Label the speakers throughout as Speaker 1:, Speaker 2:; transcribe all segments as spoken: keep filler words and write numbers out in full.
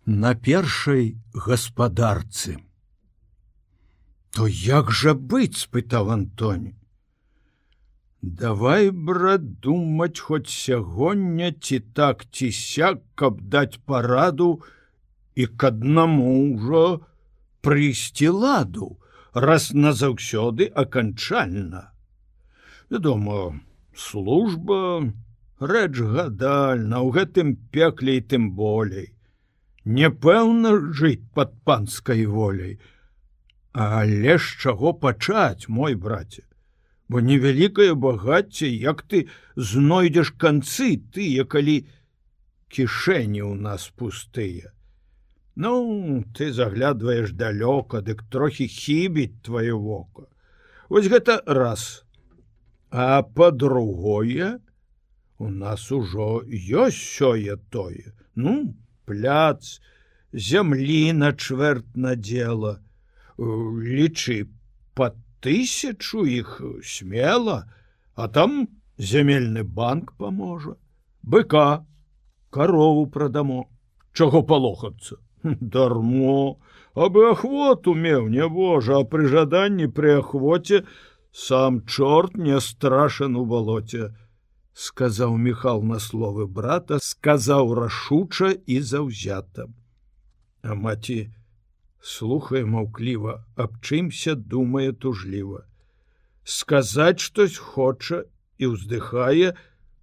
Speaker 1: на першай гаспадарцы. То як жа быць, спытаў Антоні. Давай, брат, думаць хоць сягоння ці так ці сяк, каб даць параду і к аднаму ўжо прыйсці ладу, раз назаўсёды аканчальна. Вядома, служба рэч гадальна, у гэтым пекле і тым болей. Непэўна жыць пад панскай воляй. Але з чаго пачаць, мой браце? Бо невялікае багацце, як ты знойдзеш канцы тыя, калі кішэні ў нас пустыя. Ну, ты заглядваеш далёка, дык трохі хібіць твоё вока. Вось гэта раз. А па-другое, у нас ужо ёсць сёе-тое. Ну, пляц, зямлі на чвэрть надзела. Лічы, па тысячу іх смела, а там зямельны банк паможа. Быка, карову прадамо. Чаго палохацца? Дармо, абы ахвоту меў, нябожа, а пры жаданні пры ахвоце сам чорт не страшен у балоце, сказаў Міхал на словы брата, сказаў рашуча і заўзята. А маці слухае маўкліва, аб чымся думае тужліва. Сказаць штось хоча і ўздыхае,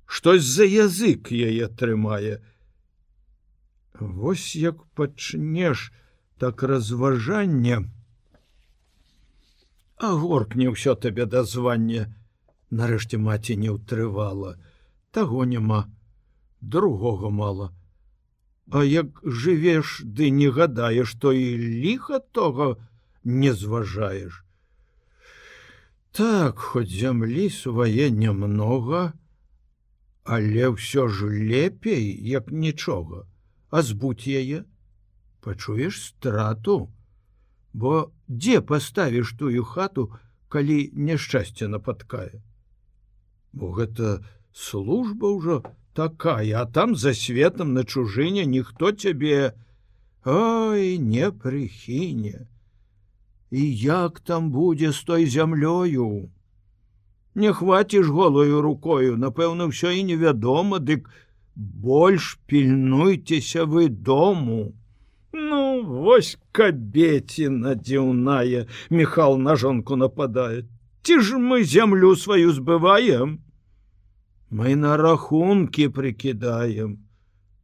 Speaker 1: штось за язык яе трымае. Вось як пачнеш так разважанне, а горкне ўсё табе да звання. Нарэшце маці не ўтрывала. Таго няма, другога мала. А як жывеш, ды не гадаеш, то і ліха того не зважаеш. Так, хоць зямлі свае нямнога, але ўсё ж лепей, як нічога. А збудь яе, пачуеш страту, бо дзе паставіш тую хату, калі няшчасце напаткае? Бо гэта служба ўжо такая, а там за светом на чужыне ніхто цябе, ой, не прыхіне. І як там будзе з той зямлёю? Не хваціш голою рукою, напэўна, ўсё і невядома, дык больш пільнуйцеся вы дому. Ну, вось кабеціна дзіўная, Міхал на жонку нападае. Ці ж мы зямлю сваю збываем? Мы на рахункі прыкідаем.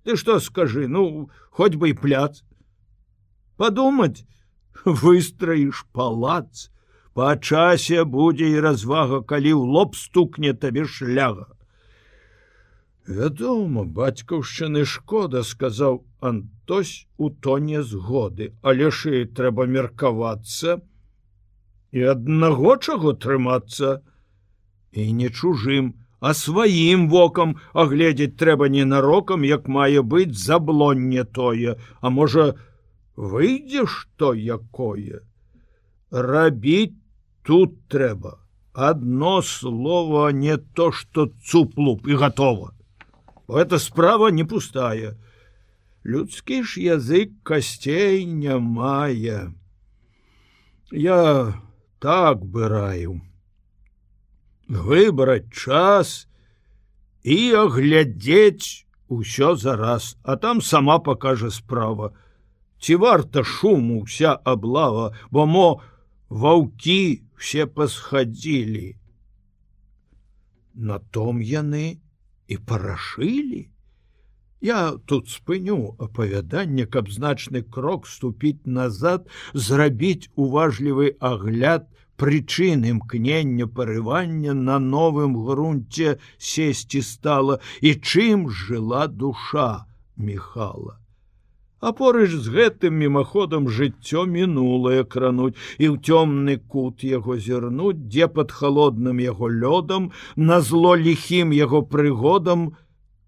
Speaker 1: Ты што скажы, ну, хоць бы і пляц. Падумаць, выстраіш палац, па часе будзе і развага, калі ў лоб стукне табе шляга. Вядома, бацькаўшчыны шкода, сказаў Антось у тоне згоды, але ж і трэба меркавацца і аднаго чаго трымацца. І не чужым, а сваім вокам агледзець трэба ненарокам, як мае быць заблонне тое, а можа, выйдзе што якое. Рабіць тут трэба. Адно слово, не то, што цуп-луп і гатова. Эта справа не пустая. Людскі ж язык касцей не мае. Я так бы раю. Выбраць час і аглядзець усё зараз, а там сама пакажа справа. Ці варта шуму вся аблава, бо мо ваўкі все пасхадзілі. На том яны і парашылі. Я тут спыню апавяданне, каб значны крок ступіць назад, зрабіць уважлівы агляд прычын імкнення парывання на новым грунце сесці стала і чым жыла душа Міхала. А порыж з гэтым мімаходам жыццё мінулае крануць і ў цёмны кут яго зірнуць, дзе пад халодным яго лёдам, назло ліхім яго прыгодам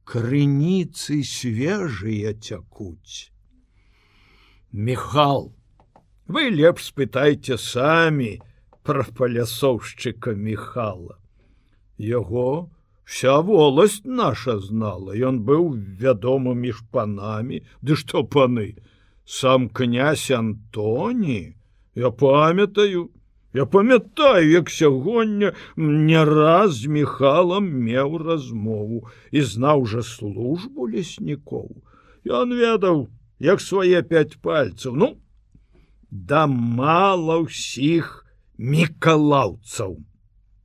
Speaker 1: крыніцы свежыя цякуць. Міхал, вы лепш спытайце самі пра палясоўшчыка Міхала. Яго вся воласць наша знала, ён быў вядомы між панамі, ды што паны, Сам князь Антоні? Я памятаю, я памятаю, як сягоння не раз з Міхалам меў размову і знаў жа службу леснікоў. Ён ведаў, як свае пяць пальцаў. Ну, да мала ўсіх мікалаўцаў.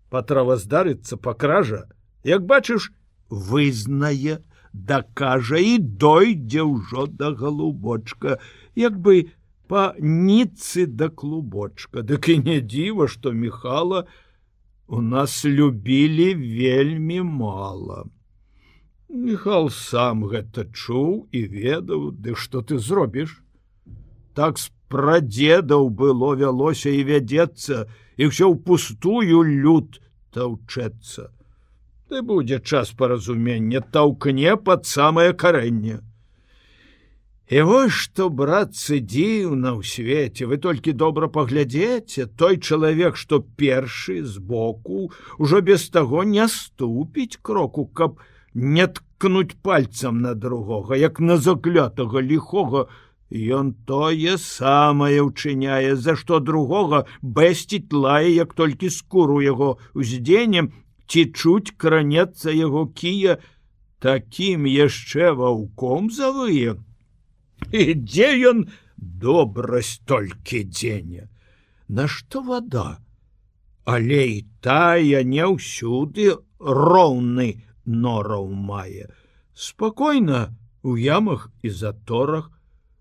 Speaker 1: Патраваздарыцца пакража, як бачыш, вызнае, дакажа і дойдзе ўжо да галубочка, як бы па ніцы да клубочка. Дык і не дзіва, што Міхала у нас любілі вельмі мала. Міхал сам гэта чуў і ведаў, ды што ты зробіш? Так з прадзедаў было вялося і вядзецца, і ўсё ўпустую люд таўчэцца. Ды будзе час паразумення, таўкне пад самае карэнне. І вось што, братцы, дзіўна ў свеце, вы толькі добра паглядзеце, той чалавек, што першы збоку, ужо без таго не ступіць кроку, каб не ткнуць пальцам на другога, як на заклятага ліхога, ён тое самае ўчыняе, за што другога бэсціць лае, як толькі скуру яго уздзенем, ці чуць кранецца яго кія, такім яшчэ ваўком завые. І дзе ён добрасць толькі дзеня? Нашто вада? Але і тая не ўсюды роўны нораў мае. Спакойна у ямах і заторах,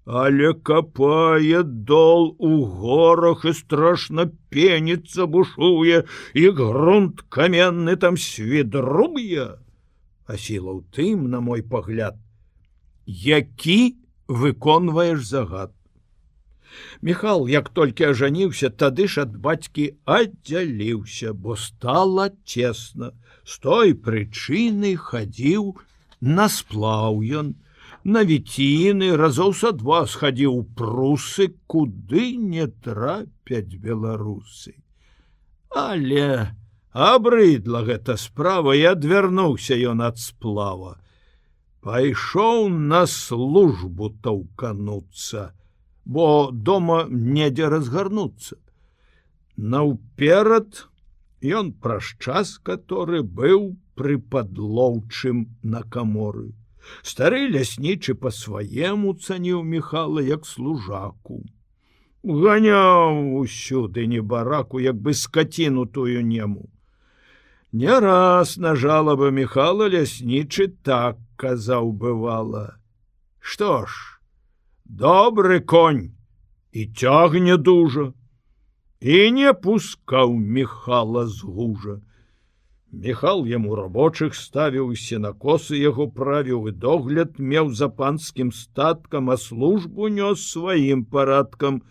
Speaker 1: але капае дол у горах і страшна пеніцца, бушуе, і грунт каменны там свідруе. А сіла ў тым, на мой пагляд, які выконваеш загад. Міхал, як толькі ажаніўся, тады ж ад бацькі аддзяліўся, бо стала цесна. З той прычыны хадзіў на сплаў ён, на віціны, разоў са два схадзіў у прусы, куды не трапяць беларусы. Але абрыдла гэта справа, і адвярнуўся ён ад сплава. Пайшоў на службу таўкануцца, бо дома недзе разгарнуцца. Наўперад ён праз час, каторы быў пры падлоўчым на каморы. Стары ляснічы па-сваему цаніў Міхала як служаку. Ганяў усюды небараку, як бы скаціну тую нему. Не раз на жалаба Міхала ляснічы так казаў бывала: што ж, добры конь і цягне дужа. І не пускаў Міхала з гужа. Міхал яму рабочых ставіў, сенакосы яго правіў, і догляд меў за панскім статкам, а службу нёс сваім парадкам.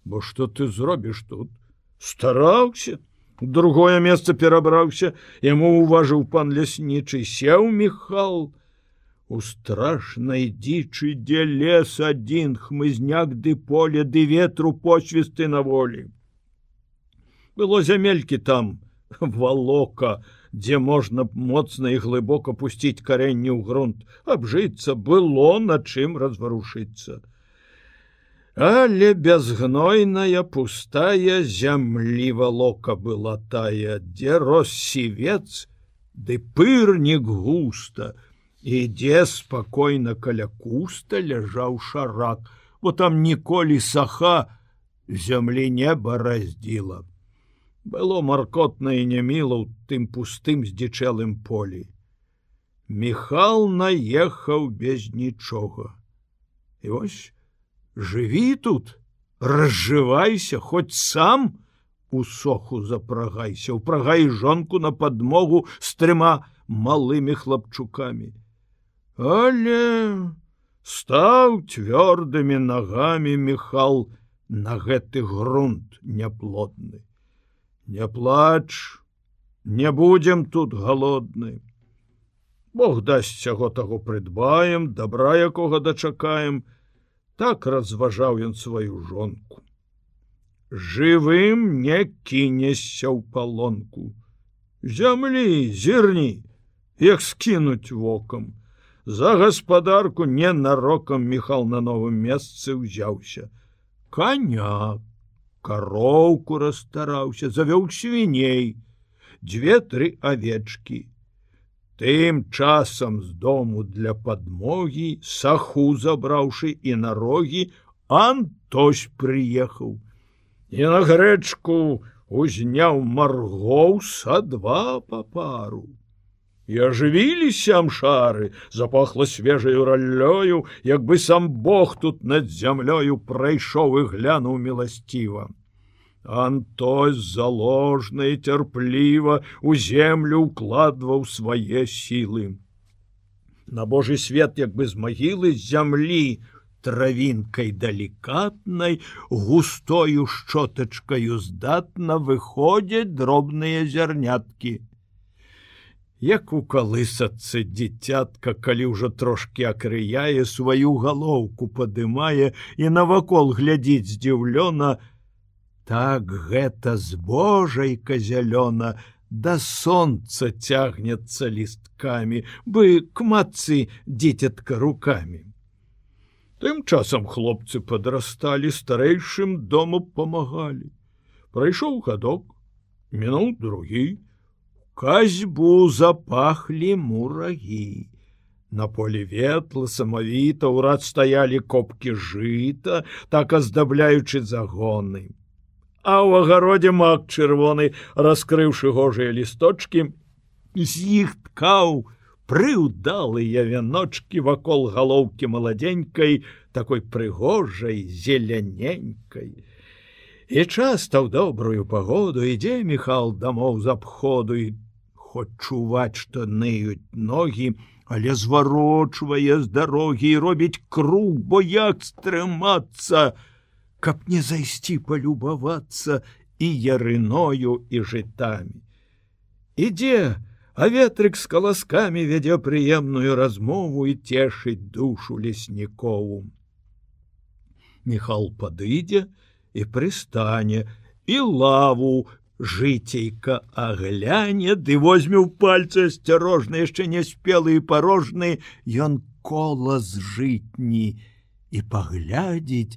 Speaker 1: Бо што ты зробіш тут? Стараўся, у другое месца перабраўся, яму уважыў пан ляснічы, сеў Міхал. У страшнай дзічы, дзе лес адзін, хмызняк ды поле, ды ветру посвісты на волі. Было зямелькі там, валока, дзе можна моцна і глыбока пусціць карэнне ў грунт, абжыцца, было на чым разварушыцца. Але безгнойная пустая зямлі валока была тая, дзе рос сівец, ды пырнік густа, і дзе спакойна каля куста ляжаў шарак, бо там ніколі саха зямлі неба раздзіла. Было маркотна і няміла ў тым пустым здзічэлым полі. Міхал наехаў без нічога. І вось жыві тут, разжывайся, хоць сам у соху запрагайся, упрагай жонку на падмогу з трыма малымі хлапчукамі. Але стаў цвёрдымі нагамі Міхал на гэты грунт няплодны. Не плач, не будзем тут галодны. Бог дасць сяго таго прыдбаем, добра якога дачакаем. Так разважаў ён сваю жонку. Жывым не кінешся ў палонку. Зямлі, зірні, як скінуць вокам. За гаспадарку ненарокам Міхал на новым месцы ўзяўся. Коня, кароўку расстараўся, завёў свіней, дзве-тры авечкі. Тым часам з дому для падмогі, саху забраўшы і на рогі, Антось прыехаў. І на грэчку узняў маргоў са два па пару. І ажывіліся амшары, запахла свежаю раллёю, як бы сам Бог тут над зямлёю прайшоў і глянуў міласціва. Антось заложна і цярпліва у землю ўкладваў свае сілы. На Божы свет, як бы з магілы з зямлі, травінкай далікатнай, густою шчотачкаю здатна выходзяць дробныя зярняткі. Як у калысацы дзіцятка, калі ўжо трошки акрыяе, сваю галоўку падымае і навакол глядзіць здзіўлёна, так гэта збожайка зялёна да сонца цягнецца лісткамі, бы к матцы дзіцятка рукамі. Тым часам хлопцы падрасталі, старэйшым дому памагалі. Прайшоў гадок, мінуў другі, казьбу запахлі мурагі. На полі ветла самавіта ўрад стаялі копкі жыта, так аздабляючы загоны. А ў агародзе мак чырвоны, раскрыўшы гожыя лісточкі, з іх ткаў прыўдалыя вяночкі вакол галоўкі маладзенькай, такой прыгожай, зеляненькай. І часта ў добрую пагоду ідзе Міхал дамоў з абходу, і хоць чуваць, што ныюць ногі, але зварочвае з дарогі і робіць круг, бо як стрымацца, каб не зайсці палюбавацца і ярыною, і жытамі. Ідзе, а ветрык з каласкамі вядзе прыемную размову і цешыць душу леснікову. Міхал падыдзе і прыстане, і лаву жыцейка агляне, ды возьме ў пальцы асцярожна, яшчэ не спелы і парожны, ён кола з жытні і паглядзіць,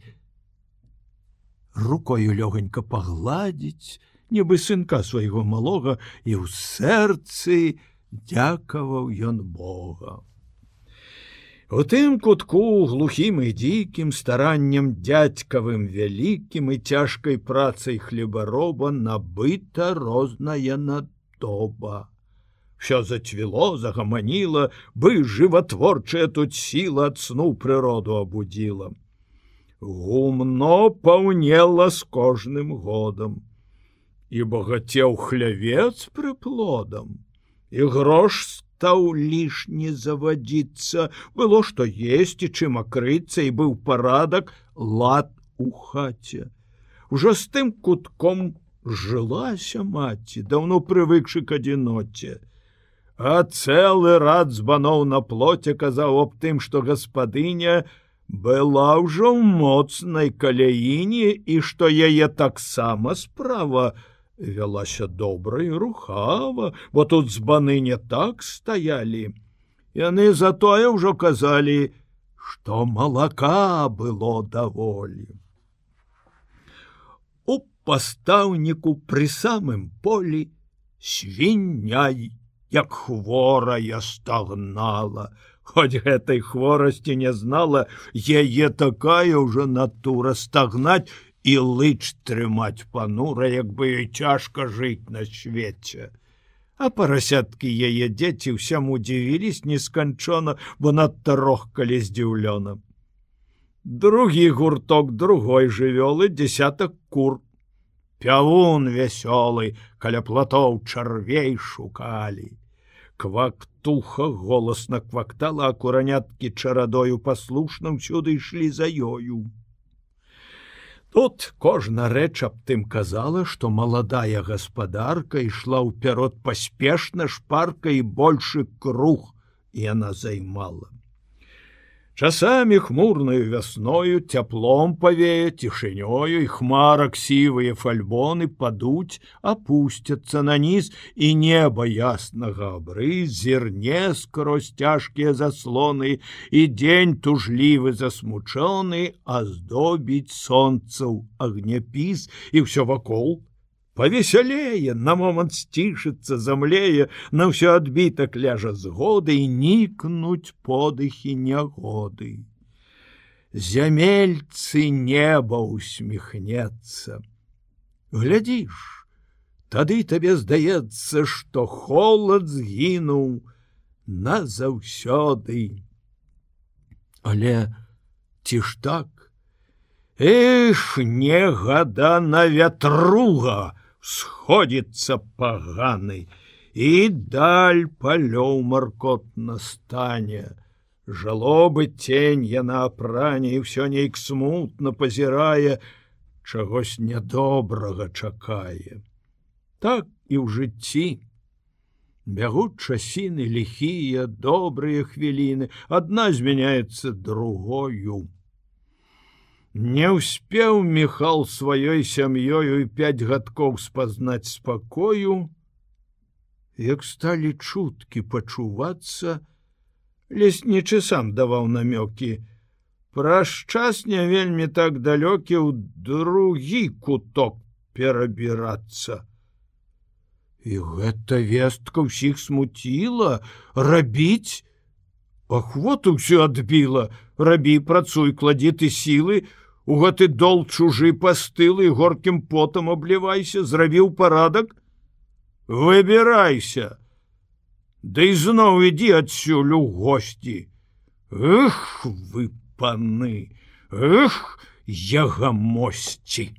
Speaker 1: рукою лёгонька пагладзіць, нібы сынка свайго малога, і ў сэрцы дзякаваў ён Бога. У тым кутку, глухім і дзікім, стараннем дзядзькавым вялікім і цяжкай працай хлебароба набыта розная надоба. Всё зацвіло, загаманіла, бы жыватворчая тут сіла ад сну прыроду абудзіла. Гумно паўнела з кожным годам, і багацеў хлявец прыплодам, і грош стаў лішні завадзіцца, было што есці, чым акрыцца, і быў парадак, лад у хаце. Ужо з тым кутком жылася маці, даўно прывыкшы к адзіноце. А цэлы рад збаноў на плоце казаў аб тым, што гаспадыня была ўжо ў моцнай каляіне, і што яе таксама справа вялася добра і рухава, бо тут збаны не так стаялі. Яны затое ўжо казалі, што малака было даволі. У пастаўніку пры самым полі свіння, як хворая, стагнала. Хоць гэтай хворасці не знала, яе такая ўжо натура стагнаць і лыч трымаць панура, як бы ёй цяжка жыць на свеце. А парасяткі яе дзеці ўсяму дзівіліся несканчона, бо надта рохкалі здзіўлёна. Другі гурток другой жывёлы, дзесятак кур. Пявун вясёлы, каля платоў чарвей шукалі. Квактуха голасна квактала, а кураняткі чарадою паслушна ўсюды ішлі за ёю. Тут кожна рэч аб тым казала, што маладая гаспадарка ішла ўперод паспешна, шпарка, і большы круг яна займала. Часамі хмурнаю вясною цяплом павее, цішынёю, і хмарак сівыя фальбоны падуць, апусцяцца на ніз, і неба яснага абрыз зірне скрозь цяжкія заслоны, і дзень тужлівы засмучоны аздобіць сонцаў агняпіс, і ўсё вакол павесялее, на момант сцішыцца, замлее, на ўсё адбітак ляжа згоды, і нікнуць подыхі нягоды. Зямельцы неба усміхнецца. Глядзіш, тады табе здаецца, што холад згінуў назаўсёды. Але ці ж так? Эх, негадана вятруга сходится паганы, і даль палёў маркотна стане. Жалобы тень яна апране, і ўсё нейк смутна пазірае, чагось нядобрага чакае. Так і ў жыцці. Бягуць часіны ліхія, добрыя хвіліны, адна змяняецца другою. Не ўспеў Міхал сваёй сям'ёю і пяць гадкоў спазнаць спакою, як сталі чуткі пачувацца, леснічы сам даваў намёкі, праз час не вельмі так далёкі ў другі куток перабірацца. І гэта вестка ўсіх смуціла, рабіць ахвоту ўсё адбіла, рабі, працуй, кладі ты сілы, у гэты дол чужы пастылы, горкім потам аблівайся, зрабіў парадак, выбірайся, ды ізноў ідзі адсюль у госці. Эх, вы паны, эх, ягамосці!